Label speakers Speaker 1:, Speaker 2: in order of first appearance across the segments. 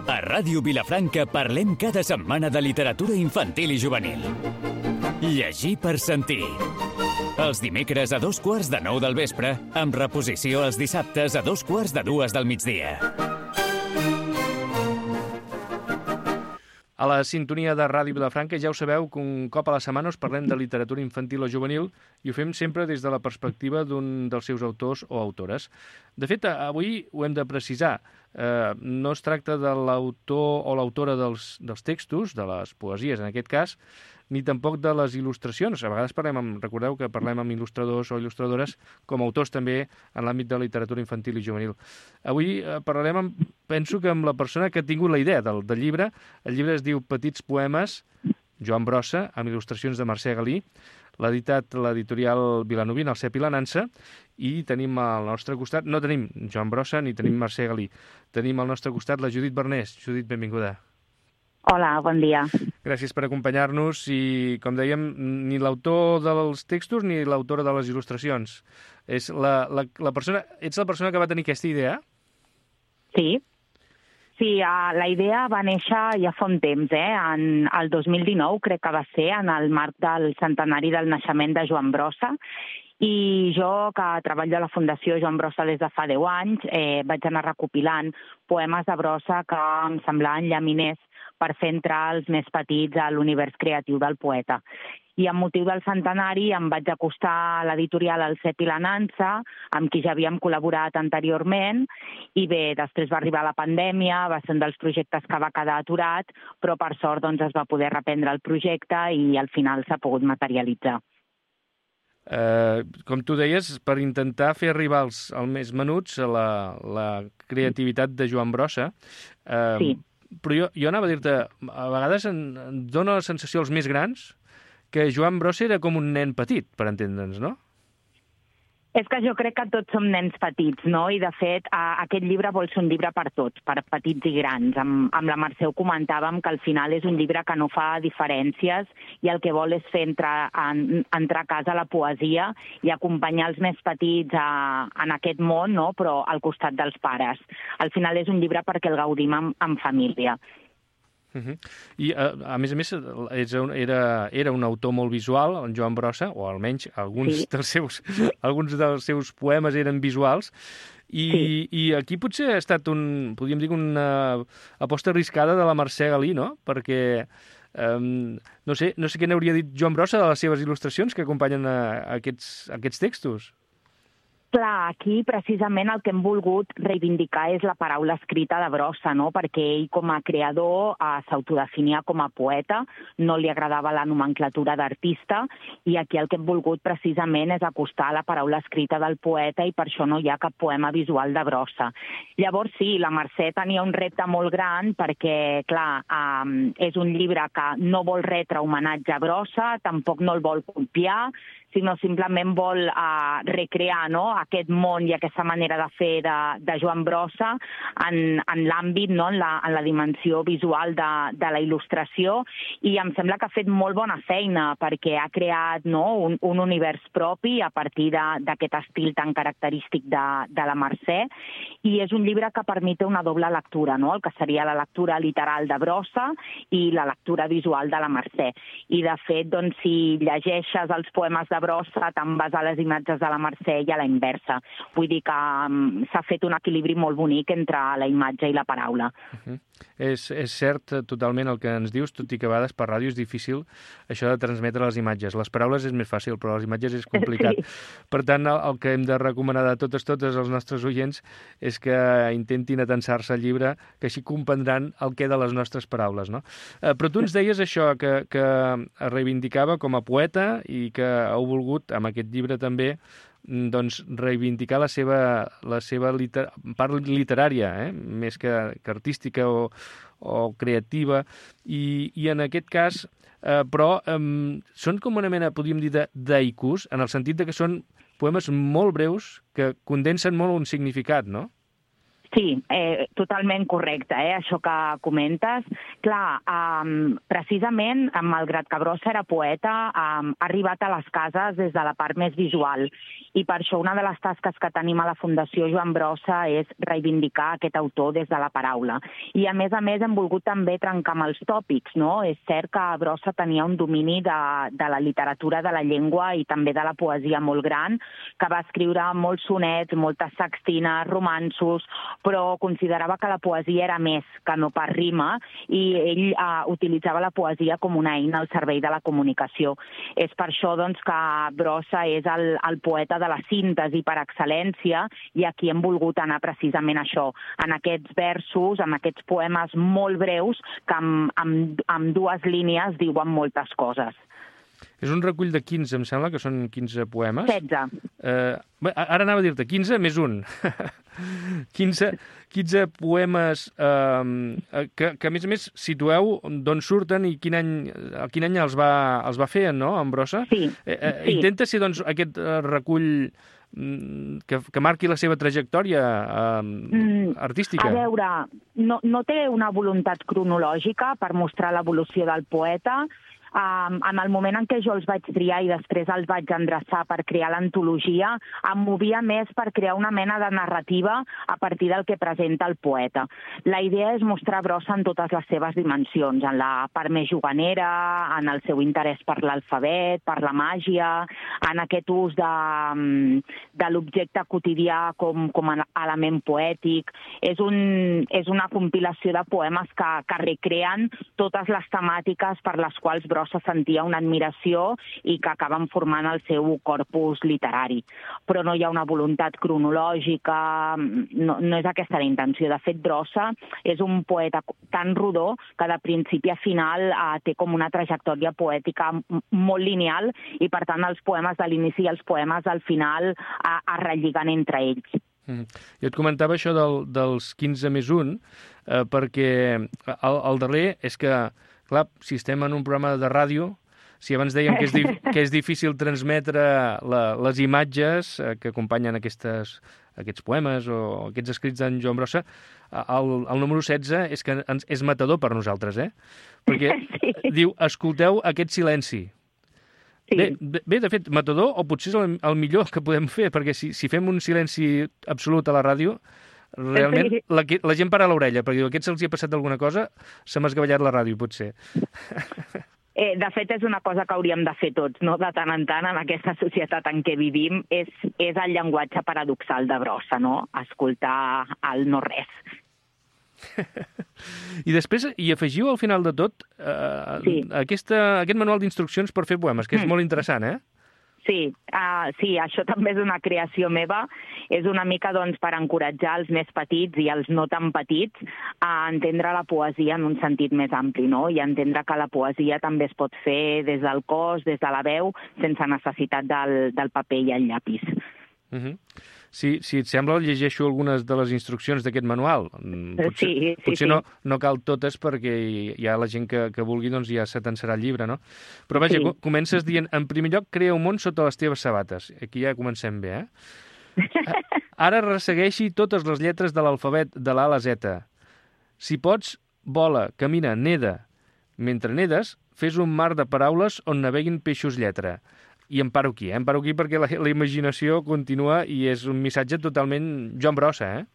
Speaker 1: A Ràdio Vilafranca parlem cada setmana de literatura infantil i juvenil. Llegir per sentir. Els dimecres a 8:45 del vespre, amb reposició els dissabtes a 2:45 del migdia.
Speaker 2: A la sintonia de Ràdio Vilafranca ja ho sabeu que un cop a la setmana us parlem de literatura infantil o juvenil i ho fem sempre des de la perspectiva d'un dels seus autors o autores. De fet, avui ho hem de precisar. No es tracta de l'autor o l'autora dels textos, de les poesies en aquest cas, ni tampoc de les il·lustracions. A vegades recordeu que parlem amb il·lustradors o il·lustradores com a autors també en l'àmbit de la literatura infantil i juvenil. Avui parlarem, penso que amb la persona que ha tingut la idea del llibre. El llibre es diu Petits poemes, Joan Brossa, amb il·lustracions de Mercè Galí. L'ha editat l'editorial vilanovina, el Cep i la Nansa, i tenim al nostre costat, no tenim Joan Brossa ni tenim Mercè Galí, tenim al nostre costat la Judit Bernés. Judit, benvinguda.
Speaker 3: Hola, bon dia.
Speaker 2: Gràcies per acompanyar-nos i, com dèiem, ni l'autor dels textos ni l'autora de les il·lustracions. Ets la persona que va tenir aquesta idea?
Speaker 3: Sí. Sí, la idea va néixer ja fa un temps, en el 2019, crec que va ser, en el marc del centenari del naixement de Joan Brossa, i jo, que treballo a la Fundació Joan Brossa des de fa 10 anys, vaig anar recopilant poemes de Brossa que em semblaven llaminers per fer entrar els més petits a l'univers creatiu del poeta. I amb motiu del centenari em vaig acostar a l'editorial El Cep i la Nansa, amb qui ja havíem col·laborat anteriorment, i bé, després va arribar la pandèmia, va ser un dels projectes que va quedar aturat, però per sort doncs, es va poder reprendre el projecte i al final s'ha pogut materialitzar.
Speaker 2: Com tu deies, per intentar fer arribar als més menuts a la creativitat de Joan Brossa,
Speaker 3: Sí.
Speaker 2: Però jo anava a dir-te, a vegades em dóna la sensació als més grans que Joan Brossa era com un nen petit, per entendre'ns, no?
Speaker 3: És que jo crec que tots som nens petits, no? I, de fet, aquest llibre vol ser un llibre per tots, per petits i grans. Amb la Mercè ho comentàvem, que al final és un llibre que no fa diferències i el que vol és fer entrar a casa la poesia i acompanyar els més petits en aquest món, no? Però al costat dels pares. Al final és un llibre perquè el gaudim en família.
Speaker 2: I, a més, era un autor molt visual, en Joan Brossa, o almenys alguns dels seus poemes eren visuals, i aquí potser ha estat podríem dir, una aposta arriscada de la Mercè Galí, no? Perquè no sé què n'hauria dit Joan Brossa de les seves il·lustracions que acompanyen aquests textos.
Speaker 3: Clar, aquí precisament el que hem volgut reivindicar és la paraula escrita de Brossa, no? Perquè ell com a creador s'autodefinia com a poeta, no li agradava la nomenclatura d'artista, i aquí el que hem volgut precisament és acostar la paraula escrita del poeta i per això no hi ha cap poema visual de Brossa. Llavors sí, la Mercè tenia un repte molt gran perquè, clar, és un llibre que no vol retre homenatge a Brossa, tampoc no el vol copiar, sinó simplement vol recrear, no?, aquest món i aquesta manera de fer de Joan Brossa en l'àmbit, no?, en la dimensió visual de la il·lustració, i em sembla que ha fet molt bona feina perquè ha creat, no?, un univers propi a partir d'aquest estil tan característic de la Mercè, i és un llibre que permet una doble lectura, no?, el que seria la lectura literal de Brossa i la lectura visual de la Mercè. I de fet, doncs, si llegeixes els poemes de Brossa te'n vas a les imatges de la Mercè i a la inversa. Vull dir que s'ha fet un equilibri molt bonic entre la imatge i la paraula.
Speaker 2: És cert totalment el que ens dius, tot i que a vegades per ràdio és difícil això de transmetre les imatges. Les paraules és més fàcil, però les imatges és complicat. Sí. Per tant, el que hem de recomanar de totes als nostres oients és que intentin atensar-se al llibre, que així comprendran el que de les nostres paraules, no? Però tu ens deies això, que es reivindicava com a poeta i que heu volgut, amb aquest llibre també, doncs, reivindicar la seva part literària, més que artística o creativa, i en aquest cas, però són com una mena, podríem dir, d'haikus, en el sentit que són poemes molt breus que condensen molt un significat, no?
Speaker 3: Sí, totalment correcte, això que comentes. Clar, precisament, malgrat que Brossa era poeta, ha arribat a les cases des de la part més visual. I per això una de les tasques que tenim a la Fundació Joan Brossa és reivindicar aquest autor des de la paraula. I a més hem volgut també trencar amb els tòpics, no? És cert que Brossa tenia un domini de la literatura de la llengua i també de la poesia molt gran, que va escriure molts sonets, moltes sextines, romanços, però considerava que la poesia era més que no pas rima i ell utilitzava la poesia com una eina al servei de la comunicació. És per això doncs, que Brossa és el poeta de la síntesi per excel·lència i aquí hem volgut anar precisament això, en aquests versos, en aquests poemes molt breus que amb 2 línies diuen moltes coses.
Speaker 2: És un recull de 15, em sembla, que són 15 poemes.
Speaker 3: 16.
Speaker 2: Ara anava a dir-te, 15 més un. 15 poemes que, a més, situeu d'on surten i quin any els va fer, no?, en Brossa.
Speaker 3: Sí.
Speaker 2: Intenta ser, doncs, aquest recull que marqui la seva trajectòria artística.
Speaker 3: A veure, no té una voluntat cronològica per mostrar l'evolució del poeta. En el moment en què jo els vaig triar i després els vaig endreçar per crear l'antologia, em movia més per crear una mena de narrativa a partir del que presenta el poeta. La idea és mostrar Brossa en totes les seves dimensions, en la part més juganera, en el seu interès per l'alfabet, per la màgia, en aquest ús de l'objecte quotidià com a element poètic. És una compilació de poemes que recreen totes les temàtiques per les quals Brossa sentia una admiració i que acaben formant el seu corpus literari. Però no hi ha una voluntat cronològica, no és aquesta la intenció. De fet, Brossa és un poeta tan rodó que de principi a final té com una trajectòria poètica molt lineal i, per tant, els poemes de l'inici i els poemes del final es relliguen entre ells.
Speaker 2: Jo et comentava això dels 15 més 1, perquè el darrer és que, clar, si estem en un programa de ràdio, si abans dèiem que és difícil transmetre les imatges que acompanyen aquests poemes o aquests escrits d'en Joan Brossa, el número 16 és que és matador per nosaltres, perquè diu, escolteu aquest silenci. Sí. Bé, de fet, matador, o potser és el millor que podem fer, perquè si fem un silenci absolut a la ràdio, realment la gent para l'orella, perquè diu, aquests se'ls hi ha passat alguna cosa, se m'ha esgavellat la ràdio, potser.
Speaker 3: De fet, és una cosa que hauríem de fer tots, no? De tant en tant, en aquesta societat en què vivim, és el llenguatge paradoxal de Brossa, no? Escoltar el no-res.
Speaker 2: I després hi afegiu al final de tot aquest manual d'instruccions per fer poemes, que és molt interessant,
Speaker 3: Sí, això també és una creació meva. És una mica per encoratjar els més petits i els no tan petits a entendre la poesia en un sentit més ampli, no? I a entendre que la poesia també es pot fer des del cos, des de la veu, sense necessitat del paper i el llapis.
Speaker 2: Si et sembla, llegeixo algunes de les instruccions d'aquest manual. Potser no cal totes perquè hi ha la gent que vulgui, doncs ja s'atensarà el llibre, no? Però vaja, comences dient, en primer lloc, crea un món sota les teves sabates. Aquí ja comencem bé, Ara ressegueixi totes les lletres de l'alfabet de l'A a la Z. Si pots, vola, camina, neda. Mentre nedes, fes un mar de paraules on naveguin peixos lletra. I em paro aquí, perquè la imaginació continua i és un missatge totalment Joan Brossa,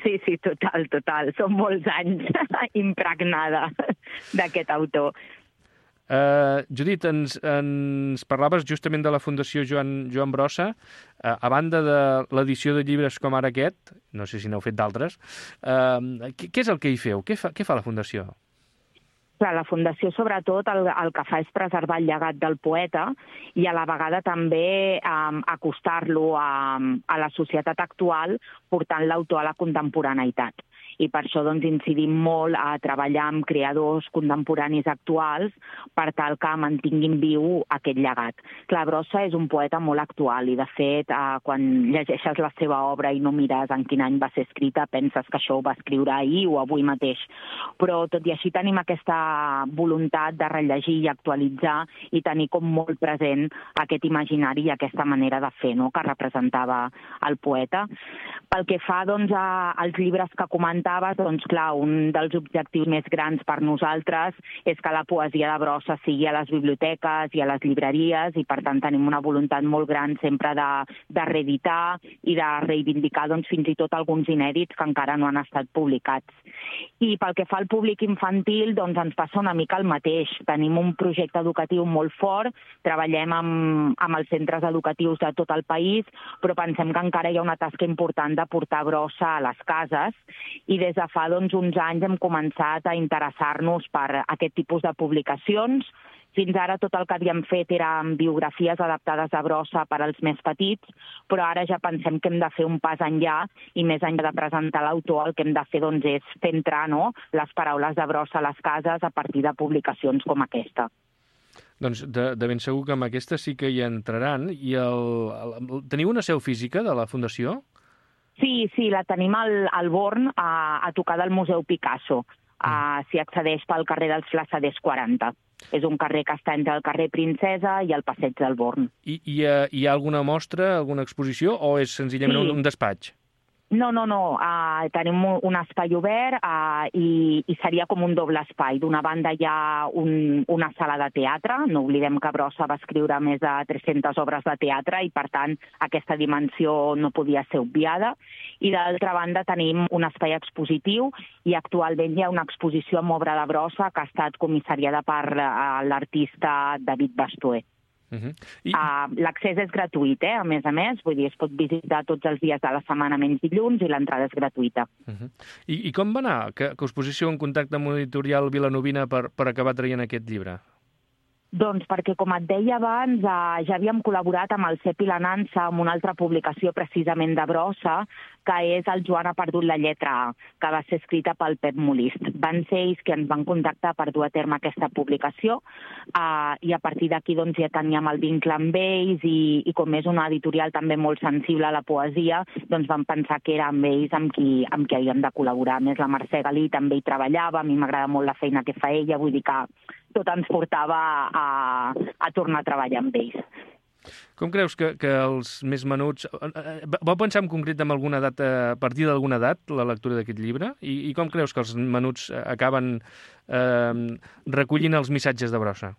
Speaker 3: Sí, total. Són molts anys impregnada d'aquest autor.
Speaker 2: Judit, ens parlaves justament de la Fundació Joan Brossa. A banda de l'edició de llibres com ara aquest, no sé si n'heu fet d'altres, què és el que hi feu? Què fa la Fundació?
Speaker 3: Clar, la Fundació, sobretot, el que fa és preservar el llegat del poeta i a la vegada també acostar-lo a la societat actual, portant l'autor a la contemporaneïtat. i per això doncs, incidim molt a treballar amb creadors contemporanis actuals per tal que mantinguin viu aquest llegat. Clar, Brossa és un poeta molt actual i, de fet, quan llegeixes la seva obra i no mires en quin any va ser escrita, penses que això ho va escriure ahir o avui mateix. Però, tot i així, tenim aquesta voluntat de rellegir i actualitzar i tenir com molt present aquest imaginari i aquesta manera de fer, no?, que representava el poeta. Pel que fa doncs, als llibres que comentaves, doncs, clar, un dels objectius més grans per nosaltres és que la poesia de Brossa sigui a les biblioteques i a les llibreries, i per tant tenim una voluntat molt gran sempre de reeditar i de reivindicar doncs, fins i tot alguns inèdits que encara no han estat publicats. I pel que fa al públic infantil, doncs ens passa una mica el mateix. Tenim un projecte educatiu molt fort, treballem amb els centres educatius de tot el país, però pensem que encara hi ha una tasca important de portar Brossa a les cases, i des de fa doncs, uns anys hem començat a interessar-nos per aquest tipus de publicacions. Fins ara tot el que havíem fet eren biografies adaptades a Brossa per als més petits, però ara ja pensem que hem de fer un pas enllà i més enllà de presentar l'autor, el que hem de fer doncs, és fer entrar, no?, les paraules de Brossa a les cases a partir de publicacions com aquesta.
Speaker 2: Doncs de ben segur que amb aquesta sí que hi entraran. I teniu una seu física de la Fundació?
Speaker 3: Sí, la tenim al Born, a tocar del Museu Picasso. S'hi accedeix pel carrer dels Flassaders 40. És un carrer que està entre el carrer Princesa i el Passeig del Born.
Speaker 2: I hi ha alguna mostra, alguna exposició, o és senzillament un despatx?
Speaker 3: No. Tenim un espai obert i seria com un doble espai. D'una banda hi ha una sala de teatre. No oblidem que Brossa va escriure més de 300 obres de teatre i, per tant, aquesta dimensió no podia ser obviada. I d'altra banda tenim un espai expositiu i actualment hi ha una exposició amb obra de Brossa que ha estat comissariada per l'artista David Bastuer. L'accés és gratuït, a més, vull dir, es pot visitar tots els dies de la setmana menys dilluns i l'entrada és gratuïta.
Speaker 2: I com va anar que us posició en contacte amb l'editorial Vilanovina per acabar traient aquest llibre?
Speaker 3: Doncs perquè, com et deia abans, ja havíem col·laborat amb el Cep i la Nansa amb una altra publicació precisament de Brossa, que és el Joan ha perdut la lletra A, que va ser escrita pel Pep Molist. Van ser ells que ens van contactar per dur a terme aquesta publicació i a partir d'aquí doncs, ja teníem el vincle amb ells i com és una editorial també molt sensible a la poesia, doncs vam pensar que era amb ells amb qui havíem de col·laborar. A més, la Mercè Galí també hi treballava, a mi m'agrada molt la feina que fa ella, vull dir que tot ens portava a tornar a treballar amb ells.
Speaker 2: Com creus que els més menuts... Vau pensar en concret en alguna edat, a partir d'alguna edat, la lectura d'aquest llibre? I com creus que els menuts acaben recollint els missatges de Brossa?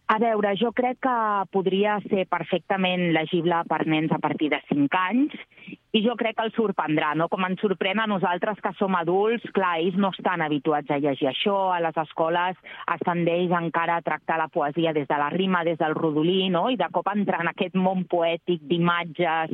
Speaker 3: A veure, jo crec que podria ser perfectament legible per nens a partir de 5 anys i jo crec que els sorprendrà, no? Com ens sorprèn a nosaltres que som adults, clar, ells no estan habituats a llegir això, a les escoles es tendeix encara a tractar la poesia des de la rima, des del rodolí, no? I de cop entrar en aquest món poètic d'imatges,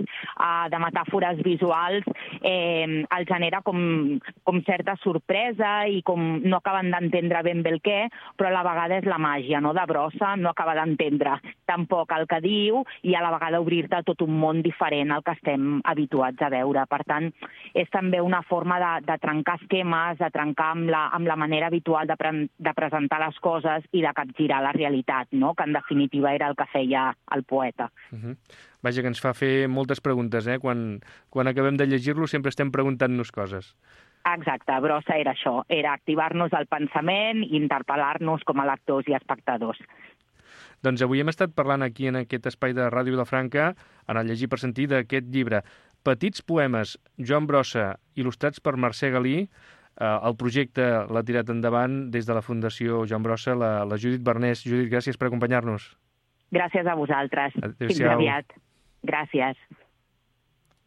Speaker 3: de metàfores visuals, els genera com certa sorpresa i com no acaben d'entendre ben bé el què, però a la vegada és la màgia, no?, de Brossa, no acaba d'entendre tampoc el que diu i a la vegada obrir-te a tot un món diferent al que estem habituats a veure. Per tant, és també una forma de trencar esquemes, de trencar amb la manera habitual de presentar les coses i de capgirar la realitat, no?, que en definitiva era el que feia el poeta.
Speaker 2: Vaja, que ens fa fer moltes preguntes, Quan acabem de llegir-lo sempre estem preguntant-nos coses.
Speaker 3: Exacte, Brossa era això, era activar-nos el pensament i interpel·lar-nos com a lectors i espectadors.
Speaker 2: Doncs avui hem estat parlant aquí en aquest espai de Ràdio Vilafranca, en el Llegir per Sentir, d'aquest llibre Petits poemes, Joan Brossa, il·lustrats per Mercè Galí. El projecte l'ha tirat endavant des de la Fundació Joan Brossa, la Judit Bernès. Judit, gràcies per acompanyar-nos.
Speaker 3: Gràcies a vosaltres.
Speaker 2: Adéu-siau.
Speaker 3: Fins aviat. Gràcies.